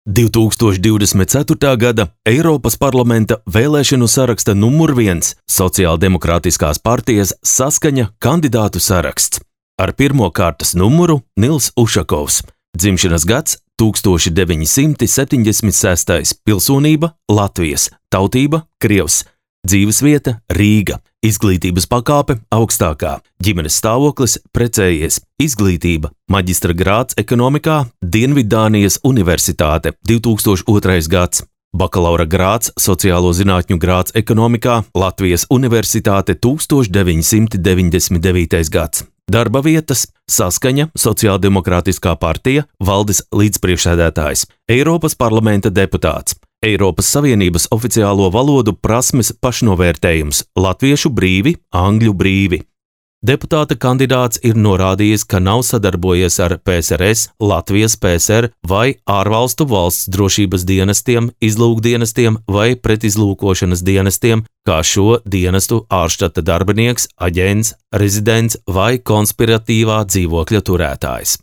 2024. gada Eiropas parlamenta vēlēšanu saraksta numur 1 Sociāldemokrātiskās partijas Saskaņa kandidātu saraksts. Ar pirmo kārtas numuru Nils Ušakovs. Dzimšanas gads 1976. Pilsonība Latvijas. Tautība Krievs. Dzīvesvieta Rīga. Izglītības pakāpe augstākā. Ģimenes stāvoklis precējies. Izglītība maģistra grāds ekonomikā Dienviddānijas Universitāte 2002. gads. Bakalaura grāds sociālo zinātņu grāds ekonomikā Latvijas Universitāte 1999. gads. Darba vietas Saskaņa Sociāldemokrātiskā partija valdes līdzpriekšsēdētājs. Eiropas parlamenta deputāts. Eiropas Savienības oficiālo valodu prasmes pašnovērtējums latviešu brīvi, angļu brīvi. Deputāta kandidāts ir norādījis, ka nav sadarbojies ar PSRS, Latvijas PSR vai ārvalstu valsts drošības dienestiem, izlūkdienestiem vai pretizlūkošanas dienestiem, kā šo dienestu ārštata darbinieks, aģents, rezidents vai konspiratīvā dzīvokļa turētājs.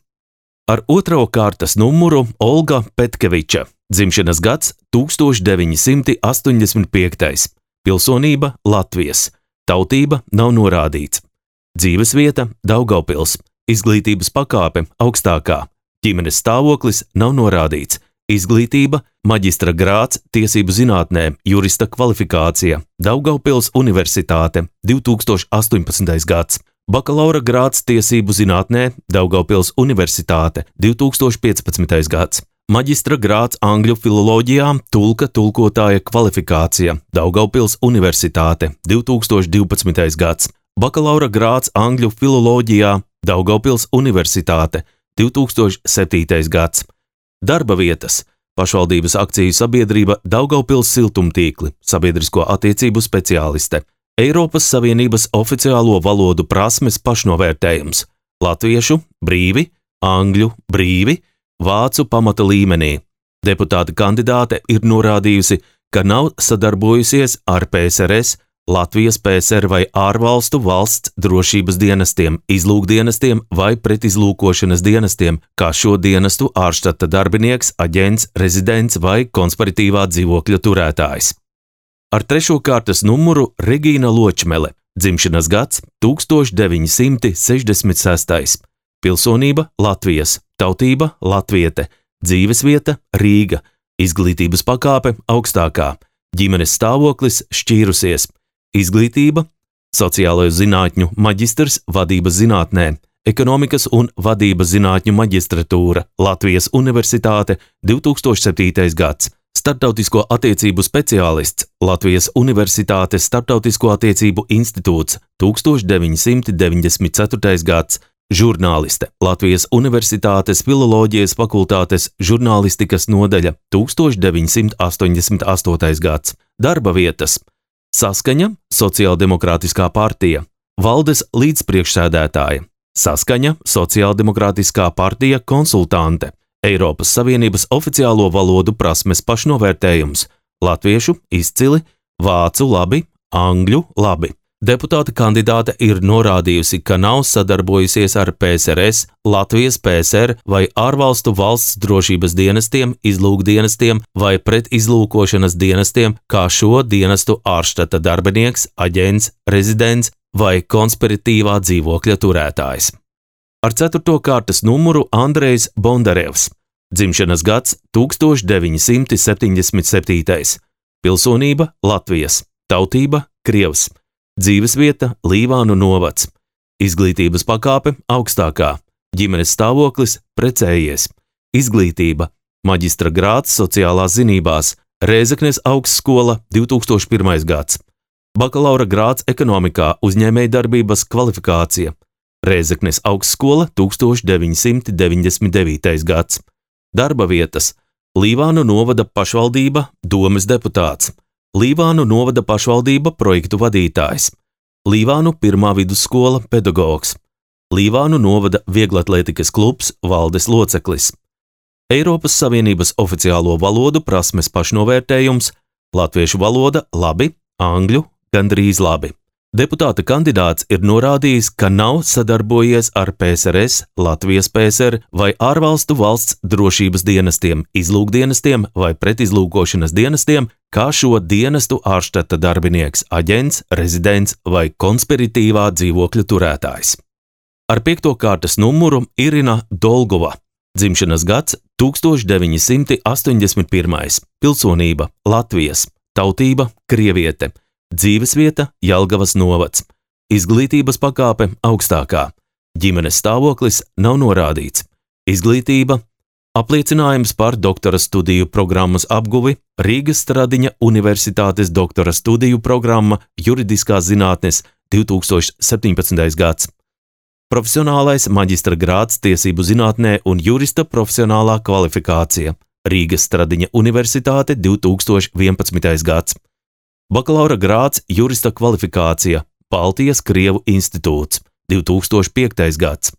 Ar otro kārtas numuru Olga Petkeviča. Dzimšanas gads 1985. Pilsonība Latvijas. Tautība nav norādīts. Dzīvesvieta Daugavpils. Izglītības pakāpe augstākā. Ģimenes stāvoklis nav norādīts. Izglītība maģistra grāds tiesību zinātnē, jurista kvalifikācija. Daugavpils Universitāte 2018. gads. Bakalaura grāds tiesību zinātnē, Daugavpils Universitāte 2015. gads. Maģistra grāds angļu filoloģijā, tulkotāja kvalifikācija, Daugavpils Universitāte 2012. gads. Bakalaura grāds angļu filoloģijā, Daugavpils Universitāte 2007. gads. Darba vietas pašvaldības akciju sabiedrība Daugavpils siltumtīkli, sabiedrisko attiecību speciāliste. Eiropas Savienības oficiālo valodu prasmes pašnovērtējums latviešu brīvi, angļu brīvi, vācu pamata līmenī. Deputāta kandidāte ir norādījusi, ka nav sadarbojusies ar PSRS, Latvijas PSR vai ārvalstu valsts drošības dienestiem, izlūkdienestiem vai pretizlūkošanas dienestiem, kā šo dienestu ārštata darbinieks, aģents, rezidents vai konspiratīvā dzīvokļa turētājs. Ar trešo kārtas numuru Regīna Ločmele. Dzimšanas gads 1966. Pilsonība Latvijas. Tautība latviete. Dzīvesvieta Rīga. Izglītības pakāpe augstākā. Ģimenes stāvoklis šķīrusies. Izglītība sociālo zinātņu maģistrs vadības zinātnē. Ekonomikas un vadības zinātņu maģistratūra Latvijas Universitāte 2007. gads. Starptautisko attiecību speciālists Latvijas Universitātes Starptautisko attiecību institūts 1994. gads. Žurnāliste Latvijas Universitātes filoloģijas fakultātes žurnālistikas nodaļa 1988. gads. Darba vietas Saskaņa Sociāldemokrātiskā partija. Valdes līdzpriekšsēdētāja. Saskaņa Sociāldemokrātiskā partija konsultante. Eiropas Savienības oficiālo valodu prasmes pašnovērtējums latviešu izcili, vācu labi, angļu labi. Deputāta kandidāte ir norādījusi, ka nav sadarbojusies ar PSRS, Latvijas PSR vai ārvalstu valsts drošības dienestiem, izlūkdienestiem vai pretizlūkošanas dienestiem, kā šo dienestu ārštata darbinieks, aģents, rezidents vai konspiratīvā dzīvokļa turētājs. Ar ceturto kārtas numuru Andrejs Bondarevs. Dzimšanas gads 1977. Pilsonība Latvijas. Tautība Krievs. Dzīvesvieta Līvānu novads. Izglītības pakāpe augstākā. Ģimenes stāvoklis precējies. Izglītība maģistra grāds sociālās zinībās. Rēzeknes augstskola 2001. gads. Bakalaura grāds ekonomikā uzņēmējdarbības kvalifikācija. Rēzeknes augstskola 1999. gads. Darba vietas Līvānu novada pašvaldība domes deputāts. Līvānu novada pašvaldība projektu vadītājs. Līvānu pirmā vidusskola pedagogs. Līvānu novada vieglatlētikas klubs valdes loceklis. Eiropas Savienības oficiālo valodu prasmes pašnovērtējums latviešu valoda labi, angļu gandrīz labi. Deputāta kandidāts ir norādījis, ka nav sadarbojies ar PSRS, Latvijas PSR vai ārvalstu valsts drošības dienestiem, izlūkdienestiem vai pretizlūkošanas dienestiem, kā šo dienestu ārštata darbinieks, aģents, rezidents vai konspiratīvā dzīvokļa turētājs. Ar 5. kārtas numuru Irina Dolgova, dzimšanas gads 1981, pilsonība Latvijas, tautība krieviete, dzīvesvieta Jelgavas novads, izglītības pakāpe augstākā, ģimenes stāvoklis nav norādīts, izglītība, apliecinājums par doktora studiju programmas apguvi Rīgas Stradiņa Universitātes doktora studiju programma juridiskās zinātnes 2017. gads. Profesionālais maģistra grāds tiesību zinātnē un jurista profesionālā kvalifikācija Rīgas Stradiņa Universitāte 2011. gads. Bakalaura grāds jurista kvalifikācija Baltijas Krievu institūts 2005. gads.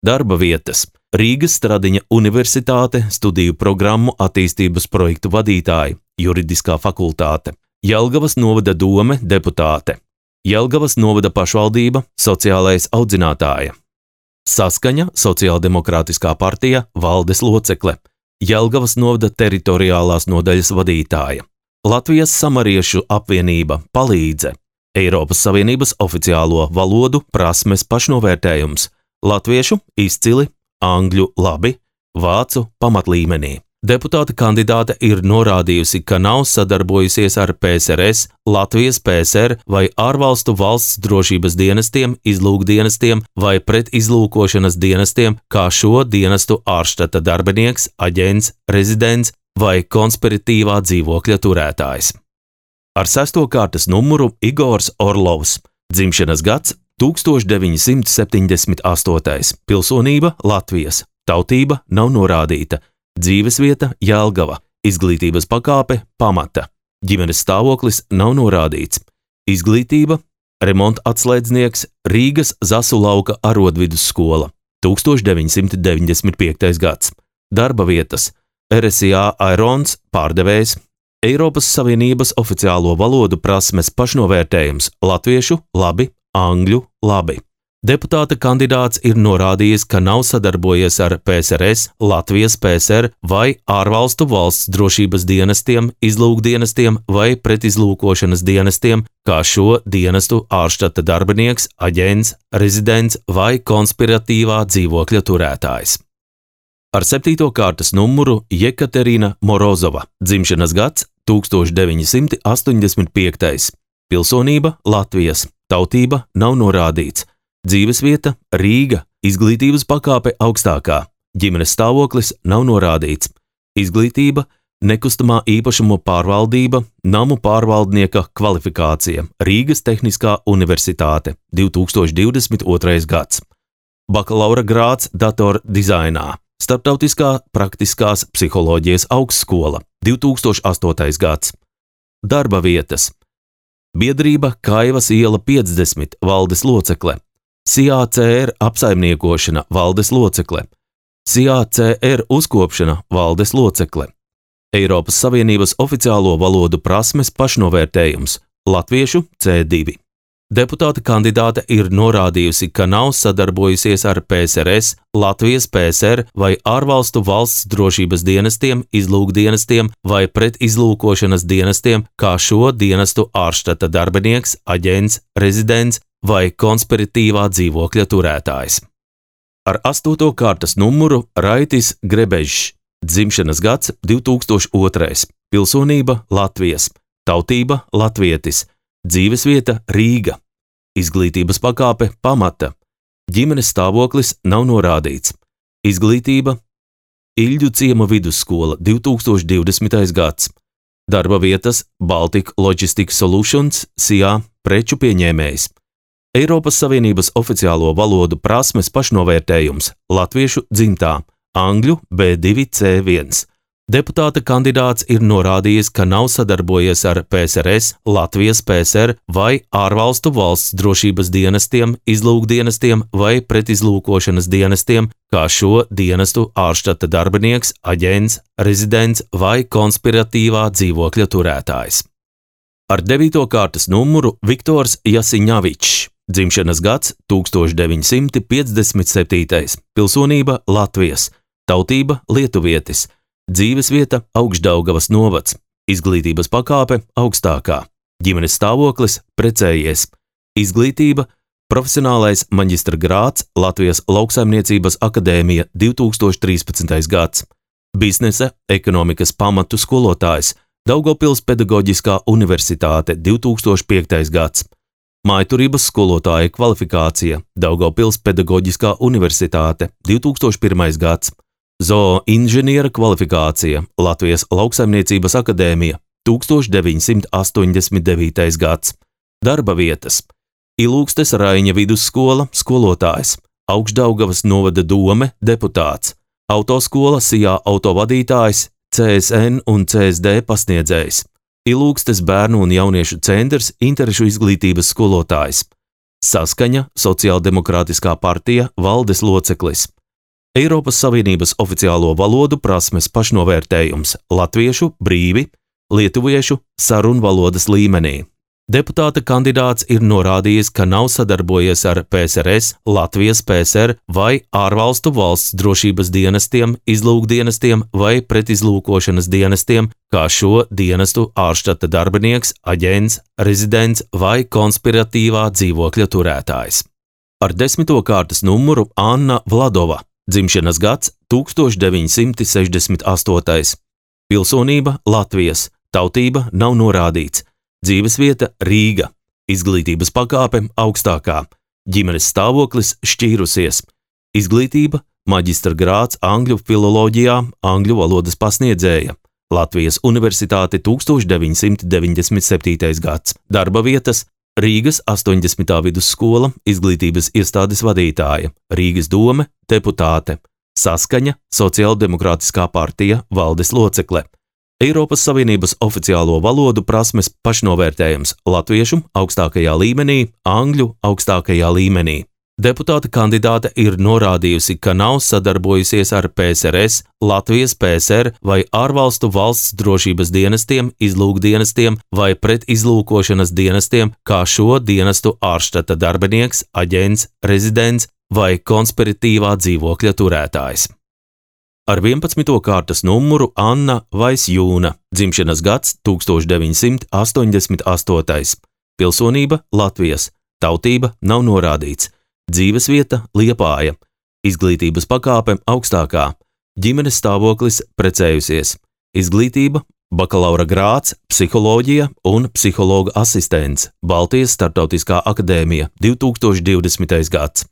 Darba vietas Rīgas Stradiņa Universitāte studiju programmu attīstības projektu vadītāji, juridiskā fakultāte, Jelgavas novada dome deputāte, Jelgavas novada pašvaldība sociālais audzinātāja, Saskaņa Sociāldemokrātiskā partija valdes locekle, Jelgavas novada teritoriālās nodaļas vadītāja, Latvijas samariešu apvienība palīdze, Eiropas Savienības oficiālo valodu prasmes pašnovērtējums, latviešu izcili, angļu labi, vācu pamatlīmenī. Deputāta kandidāte ir norādījusi, ka nav sadarbojusies ar PSRS, Latvijas PSR vai ārvalstu valsts drošības dienestiem, izlūkdienestiem vai pretizlūkošanas dienestiem, kā šo dienestu ārštata darbinieks, aģents, rezidents vai konspiratīvā dzīvokļa turētājs. Ar 6. kārtas numuru Igors Orlovs, dzimšanas gads 1978, pilsonība Latvijas, tautība nav norādīta, dzīvesvieta Jelgava, izglītības pakāpe pamata, ģimenes stāvoklis nav norādīts, izglītība, remonta atslēdznieks Rīgas Zasu lauka arodvidusskola, 1995. gads, darba vietas RSA Airons pārdevējs, Eiropas Savienības oficiālo valodu prasmes pašnovērtējums latviešu labi, angļu labi. Deputāta kandidāts ir norādījis, ka nav sadarbojies ar PSRS, Latvijas PSR vai ārvalstu valsts drošības dienestiem, izlūkdienestiem vai pretizlūkošanas dienestiem, kā šo dienestu ārštata darbinieks, aģents, rezidents vai konspiratīvā dzīvokļa turētājs. Ar 7. kārtas numuru Jekaterina Morozova, dzimšanas gads 1985, pilsonība Latvijas, tautība nav norādīts, dzīvesvieta Rīga, izglītības pakāpe augstākā, ģimenes stāvoklis nav norādīts, izglītība, nekustamā īpašuma pārvaldība, namu pārvaldnieka kvalifikācija Rīgas Tehniskā universitāte 2022. gads, bakalaura grāds datordizainā, Starptautiskā praktiskās psiholoģijas augstskola 2008. gads, darba vietas biedrība Kaivas iela 50 valdes locekle, CACR apsaimniekošana valdes locekle, CACR uzkopšana valdes locekle, Eiropas Savienības oficiālo valodu prasmes pašnovērtējums latviešu C2. Deputāta kandidāte ir norādījusi, ka nav sadarbojusies ar PSRS, Latvijas PSR vai ārvalstu valsts drošības dienestiem, izlūkdienestiem vai pretizlūkošanas dienestiem, kā šo dienestu ārštata darbinieks, aģents, rezidents vai konspiratīvā dzīvokļa turētājs. Ar 8. kārtas numuru Raitis Grebežs, dzimšanas gads 2002, pilsonība Latvijas, tautība latvietis, dzīvesvieta Rīga, izglītības pakāpe pamata, ģimenes stāvoklis nav norādīts, izglītība Iļģu ciema vidusskola 2020. gads, darba vietas Baltic Logistics Solutions, SIA preču pieņēmējs, Eiropas Savienības oficiālo valodu prasmes pašnovērtējums latviešu dzimtā, angļu B2 C1. Deputāta kandidāts ir norādījis, ka nav sadarbojies ar PSRS, Latvijas PSR vai ārvalstu valsts drošības dienestiem, izlūkdienestiem vai pretizlūkošanas dienestiem, kā šo dienestu ārštata darbinieks, aģents, rezidents vai konspiratīvā dzīvokļa turētājs. Ar 9. kārtas numuru Viktors Jasiņavičs, dzimšanas gads 1957, pilsonība Latvijas, tautība lietuvietis, dzīvesvieta Augšdaugavas novads, izglītības pakāpe augstākā, ģimenes stāvoklis precējies, izglītība profesionālais maģistra grāds Latvijas Lauksaimniecības akadēmija 2013. gads, biznesa ekonomikas pamatu skolotājs Daugavpils pedagoģiskā universitāte 2005. gads, mājturības skolotāja kvalifikācija Daugavpils pedagoģiskā universitāte 2001. gads, zooinženiera kvalifikācija Latvijas Lauksaimniecības akadēmija 1989. gads, darba vietas Ilūgstes Raiņa vidusskola skolotājs, Augšdaugavas novada dome deputāts, autoskola Sijā autovadītājs, CSN un CSD pasniedzējs, Ilūgstes bērnu un jauniešu centrs interešu izglītības skolotājs, Saskaņa Sociāldemokrātiskā partija valdes loceklis, Eiropas Savienības oficiālo valodu prasmes pašnovērtējums latviešu brīvi, lietuviešu sarunvalodas līmenī. Deputāta kandidāts ir norādījis, ka nav sadarbojies ar PSRS, Latvijas PSR vai ārvalstu valsts drošības dienestiem, izlūkdienestiem vai pretizlūkošanas dienestiem, kā šo dienestu ārštata darbinieks, aģents, rezidents vai konspiratīvā dzīvokļa turētājs. Ar 10. kārtas numuru Anna Vladova, dzimšanas gads 1968, pilsonība Latvijas, tautība nav norādīts, dzīvesvieta Rīga, izglītības pakāpe augstākā, ģimenes stāvoklis šķīrusies, izglītība maģistra grāds angļu filoloģijā, angļu valodas pasniedzēja, Latvijas Universitāte 1997. gads, darba vietas Rīgas 80. vidusskola, izglītības iestādes vadītāja, Rīgas dome, deputāte, Saskaņa Sociāldemokrātiskā partija valdes locekle, Eiropas Savienības oficiālo valodu prasmes pašnovērtējums latviešu augstākajā līmenī, angļu augstākajā līmenī. Deputāta kandidāte ir norādījusi, ka nav sadarbojusies ar PSRS, Latvijas PSR vai ārvalstu valsts drošības dienestiem, izlūkdienestiem vai pretizlūkošanas dienestiem, kā šo dienestu ārštata darbinieks, aģents, rezidents vai konspiratīvā dzīvokļa turētājs. Ar 11. kārtas numuru Anna Vaisjūna, dzimšanas gads 1988, pilsonība Latvijas, tautība nav norādīts, dzīvesvieta Liepāja, izglītības pakāpe augstākā, ģimenes stāvoklis precējusies, izglītība bakalaura grāds, psiholoģija un psihologa asistents, Baltijas Startautiskā akadēmija 2020. gads,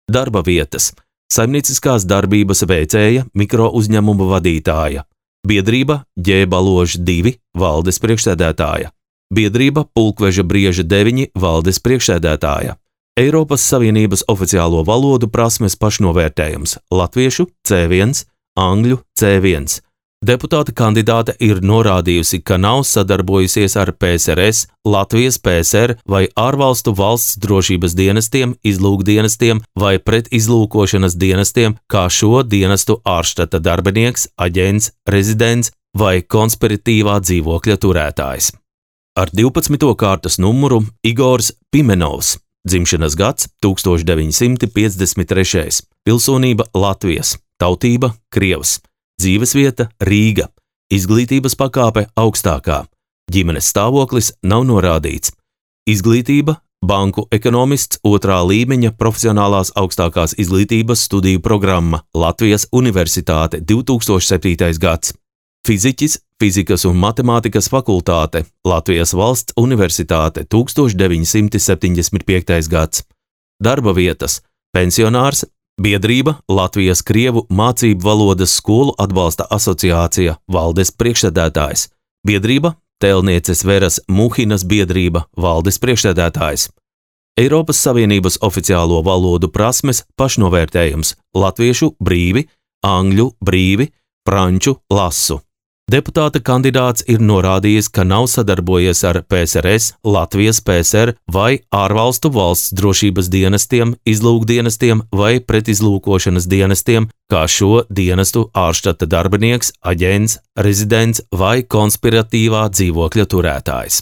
darba vietas saimnieciskās darbības veicēja mikro uzņēmuma vadītāja, biedrība Ģēbaloža 2 valdes priekšsēdētāja, biedrība Pulkveža Brieža 9 valdes priekšsēdētāja, Eiropas Savienības oficiālo valodu prasmes pašnovērtējums latviešu C1, angļu C1. Deputāta kandidāte ir norādījusi, ka nav sadarbojusies ar PSRS, Latvijas PSR vai ārvalstu valsts drošības dienestiem, izlūkdienestiem vai pretizlūkošanas dienestiem, kā šo dienestu ārštata darbinieks, aģents, rezidents vai konspiratīvā dzīvokļa turētājs. Ar 12. kārtas numuru Igors Pimenovs, dzimšanas gads 1953, pilsonība Latvijas, tautība Krievs. Dzīvesvieta Rīga, izglītības pakāpe augstākā, ģimenes stāvoklis nav norādīts, izglītība banku ekonomists 2. līmeņa profesionālās augstākās izglītības studiju programma Latvijas Universitāte 2007. gads, fiziķis, fizikas un matemātikas fakultāte Latvijas Valsts Universitāte 1975. gads, darba vietas, pensionārs, biedrība Latvijas Krievu mācību valodas skolu atbalsta asociācija valdes priekšsēdētājs, biedrība Tēlnieces Veras Muhinas biedrība valdes priekšsēdētājs, Eiropas Savienības oficiālo valodu prasmes pašnovērtējums latviešu brīvi, angļu brīvi, franču lasu. Deputāta kandidāts ir norādījis, ka nav sadarbojies ar PSRS, Latvijas PSR vai ārvalstu valsts drošības dienestiem, izlūkdienestiem vai pretizlūkošanas dienestiem, kā šo dienestu ārštata darbinieks, aģents, rezidents vai konspiratīvā dzīvokļa turētājs.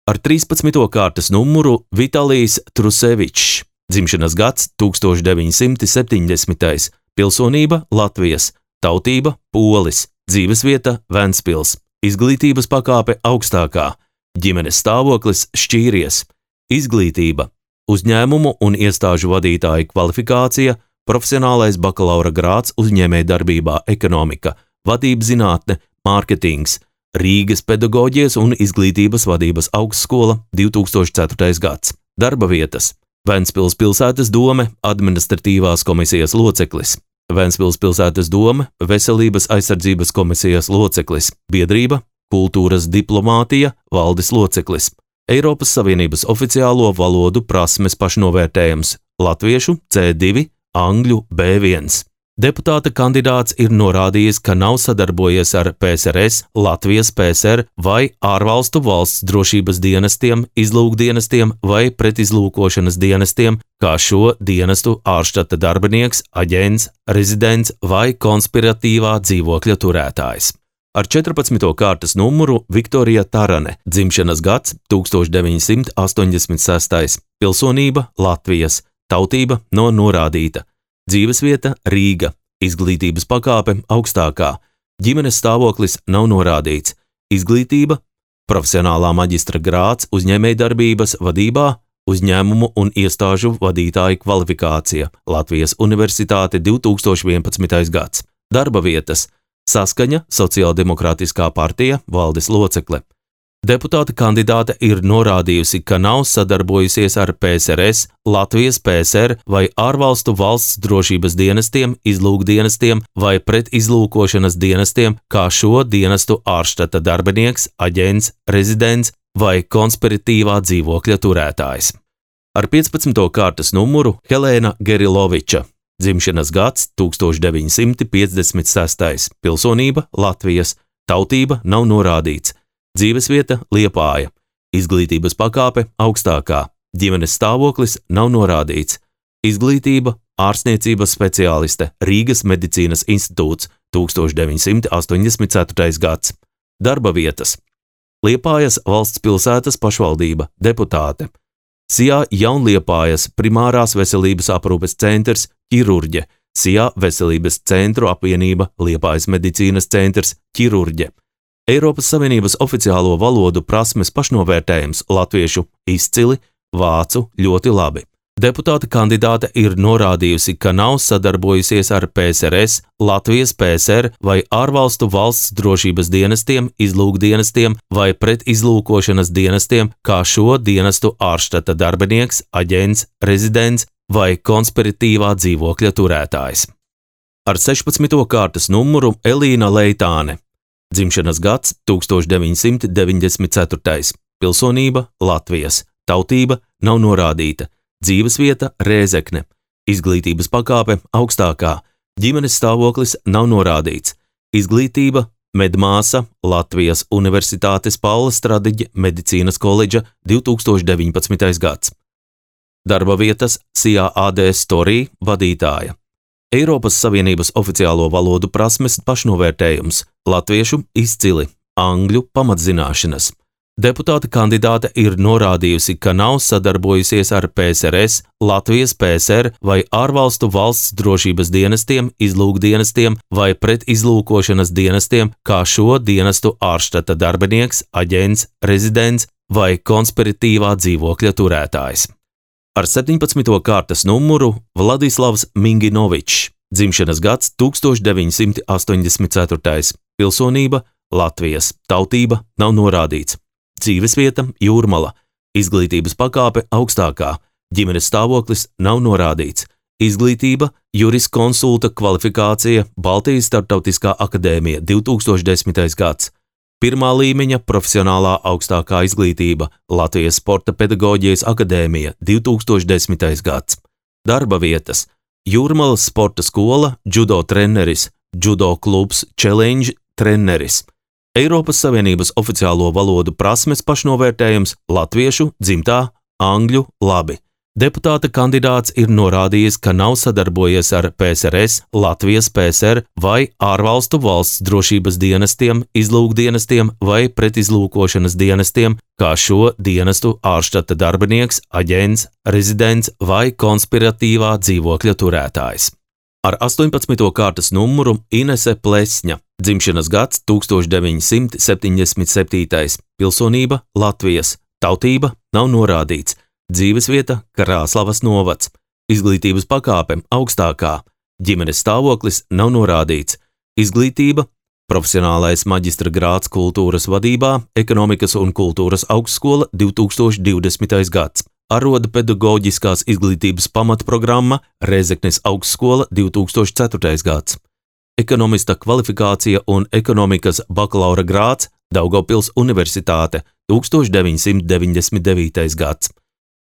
Ar 13. kārtas numuru Vitalijs Trusevičs, dzimšanas gads 1970. Pilsonība Latvijas, tautība polis, dzīvesvieta Ventspils, izglītības pakāpe augstākā, ģimenes stāvoklis šķīries, izglītība, uzņēmumu un iestāžu vadītāja kvalifikācija, profesionālais bakalaura grāds uzņēmējdarbībā ekonomika, vadības zinātne, mārketings, Rīgas pedagoģijas un izglītības vadības augstskola 2004. gads. Darba vietas: Ventspils pilsētas dome, administratīvās komisijas loceklis, Ventspils pilsētas dome, veselības aizsardzības komisijas loceklis, biedrība, kultūras diplomātija, valdes loceklis, Eiropas Savienības oficiālo valodu prasmes pašnovērtējums, latviešu C2, angļu B1. Deputāta kandidāts ir norādījis, ka nav sadarbojies ar PSRS, Latvijas PSR vai ārvalstu valsts drošības dienestiem, izlūkdienestiem vai pretizlūkošanas dienestiem, kā šo dienestu ārštata darbinieks, aģents, rezidents vai konspiratīvā dzīvokļa turētājs. Ar 14. kārtas numuru Viktorija Tarane, dzimšanas gads 1986. Pilsonība Latvijas, tautība nav norādīta. Dzīvesvieta Rīga, izglītības pakāpe augstākā, ģimenes stāvoklis nav norādīts, izglītība, profesionālā maģistra grāds uzņēmējdarbības vadībā, uzņēmumu un iestāžu vadītāja kvalifikācija, Latvijas Universitāte 2011. gads. Darba vietas: Saskaņa, Sociāldemokrātiskā partija, valdes locekle. Deputāta kandidāte ir norādījusi, ka nav sadarbojusies ar PSRS, Latvijas PSR vai ārvalstu valsts drošības dienestiem, izlūkdienestiem vai pretizlūkošanas dienestiem, kā šo dienestu ārštata darbinieks, aģents, rezidents vai konspiratīvā dzīvokļa turētājs. Ar 15. kārtas numuru Helēna Geriloviča, dzimšanas gads 1956. Pilsonība Latvijas, tautība nav norādīts. Dzīvesvieta Liepāja, izglītības pakāpe augstākā, ģimenes stāvoklis nav norādīts, izglītība, ārstniecības speciāliste, Rīgas medicīnas institūts 1984. gads. Darba vietas: Liepājas valsts pilsētas pašvaldība, deputāte, Sijā Jaunliepājas primārās veselības aprūpes centrs, ķirurģe, Sijā veselības centru apvienība, Liepājas medicīnas centrs, ķirurģe. Eiropas Savienības oficiālo valodu prasmes pašnovērtējums, latviešu izcili, vācu ļoti labi. Deputāta kandidāte ir norādījusi, ka nav sadarbojusies ar PSRS, Latvijas PSR vai ārvalstu valsts drošības dienestiem, izlūkdienestiem vai pretizlūkošanas dienestiem, kā šo dienestu ārštata darbinieks, aģents, rezidents vai konspiratīvā dzīvokļa turētājs. Ar 16. kārtas numuru Elīna Leitāne, dzimšanas gads 1994. Pilsonība Latvijas, tautība nav norādīta, dzīvesvieta Rēzekne, izglītības pakāpe augstākā, ģimenes stāvoklis nav norādīts, izglītība, medmāsa, Latvijas Universitātes Paula Stradiņa medicīnas koledža 2019. gads. Darba vietas Sijā AD Storī vadītāja. Eiropas Savienības oficiālo valodu prasmes pašnovērtējums, latviešu izcili, angļu pamatzināšanas. Deputāta kandidāte ir norādījusi, ka nav sadarbojusies ar PSRS, Latvijas PSR vai ārvalstu valsts drošības dienestiem, izlūkdienestiem vai pretizlūkošanas dienestiem, kā šo dienestu ārštata darbinieks, aģents, rezidents vai konspiratīvā dzīvokļa turētājs. Ar 17. kārtas numuru Vladislavs Minginovičs, dzimšanas gads 1984. Pilsonība Latvijas, tautība nav norādīts, dzīvesvieta Jūrmala, izglītības pakāpe augstākā, ģimenes stāvoklis nav norādīts, izglītība, juriskonsulta kvalifikācija, Baltijas Startautiskā akadēmija 2010. gads. Pirmā līmeņa profesionālā augstākā izglītība, Latvijas Sporta pedagoģijas akadēmija 2010. gads. Darba vietas: Jūrmalas sporta skola, judo treneris, judo klubs Challenge treneris. Eiropas Savienības oficiālo valodu prasmes pašnovērtējums, latviešu dzimtā, angļu labi. Deputāta kandidāts ir norādījis, ka nav sadarbojies ar PSRS, Latvijas PSR vai ārvalstu valsts drošības dienestiem, izlūkdienestiem vai pretizlūkošanas dienestiem, kā šo dienestu ārštata darbinieks, aģents, rezidents vai konspiratīvā dzīvokļa turētājs. Ar 18. kārtas numuru Inese Plesņa, dzimšanas gads 1977, pilsonība Latvijas, tautība nav norādīts. Dzīvesvieta Krāslavas novads, izglītības pakāpe augstākā, ģimenes stāvoklis nav norādīts, izglītība, profesionālais maģistra grāds kultūras vadībā, ekonomikas un kultūras augstskola 2020. gads, aroda pedagoģiskās izglītības pamatprogramma Rēzeknes augstskola 2004. gads, ekonomista kvalifikācija un ekonomikas bakalaura grāds Daugavpils Universitāte 1999. gads.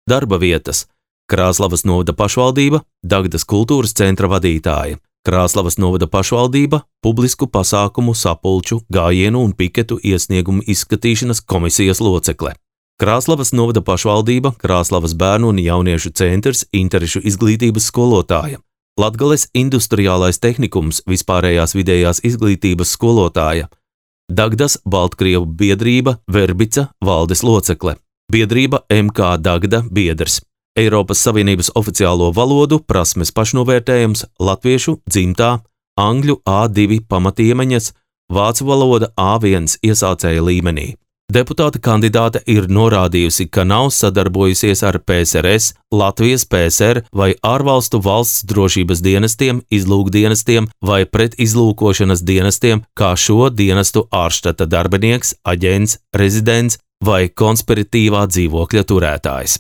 Darba vietas – Krāslavas novada pašvaldība, Dagdas kultūras centra vadītāja, Krāslavas novada pašvaldība, publisku pasākumu, sapulču, gājienu un piketu iesniegumu izskatīšanas komisijas locekle, Krāslavas novada pašvaldība, Krāslavas bērnu un jauniešu centrs, interešu izglītības skolotāja, Latgales industriālais tehnikums, vispārējās vidējās izglītības skolotāja, Dagdas Baltkrievu biedrība Verbica valdes locekle. Biedrība MK Dagda biedrs, Eiropas Savienības oficiālo valodu prasmes pašnovērtējums latviešu dzimtā, angļu A2 pamatiemaņas, vācu valoda A1 iesācēja līmenī. Deputāta kandidāte ir norādījusi, ka nav sadarbojusies ar PSRS, Latvijas PSR vai ārvalstu valsts drošības dienestiem, izlūkdienestiem vai pretizlūkošanas dienestiem, kā šo dienestu ārštata darbinieks, aģents, rezidents vai konspiratīvā dzīvokļa turētājs.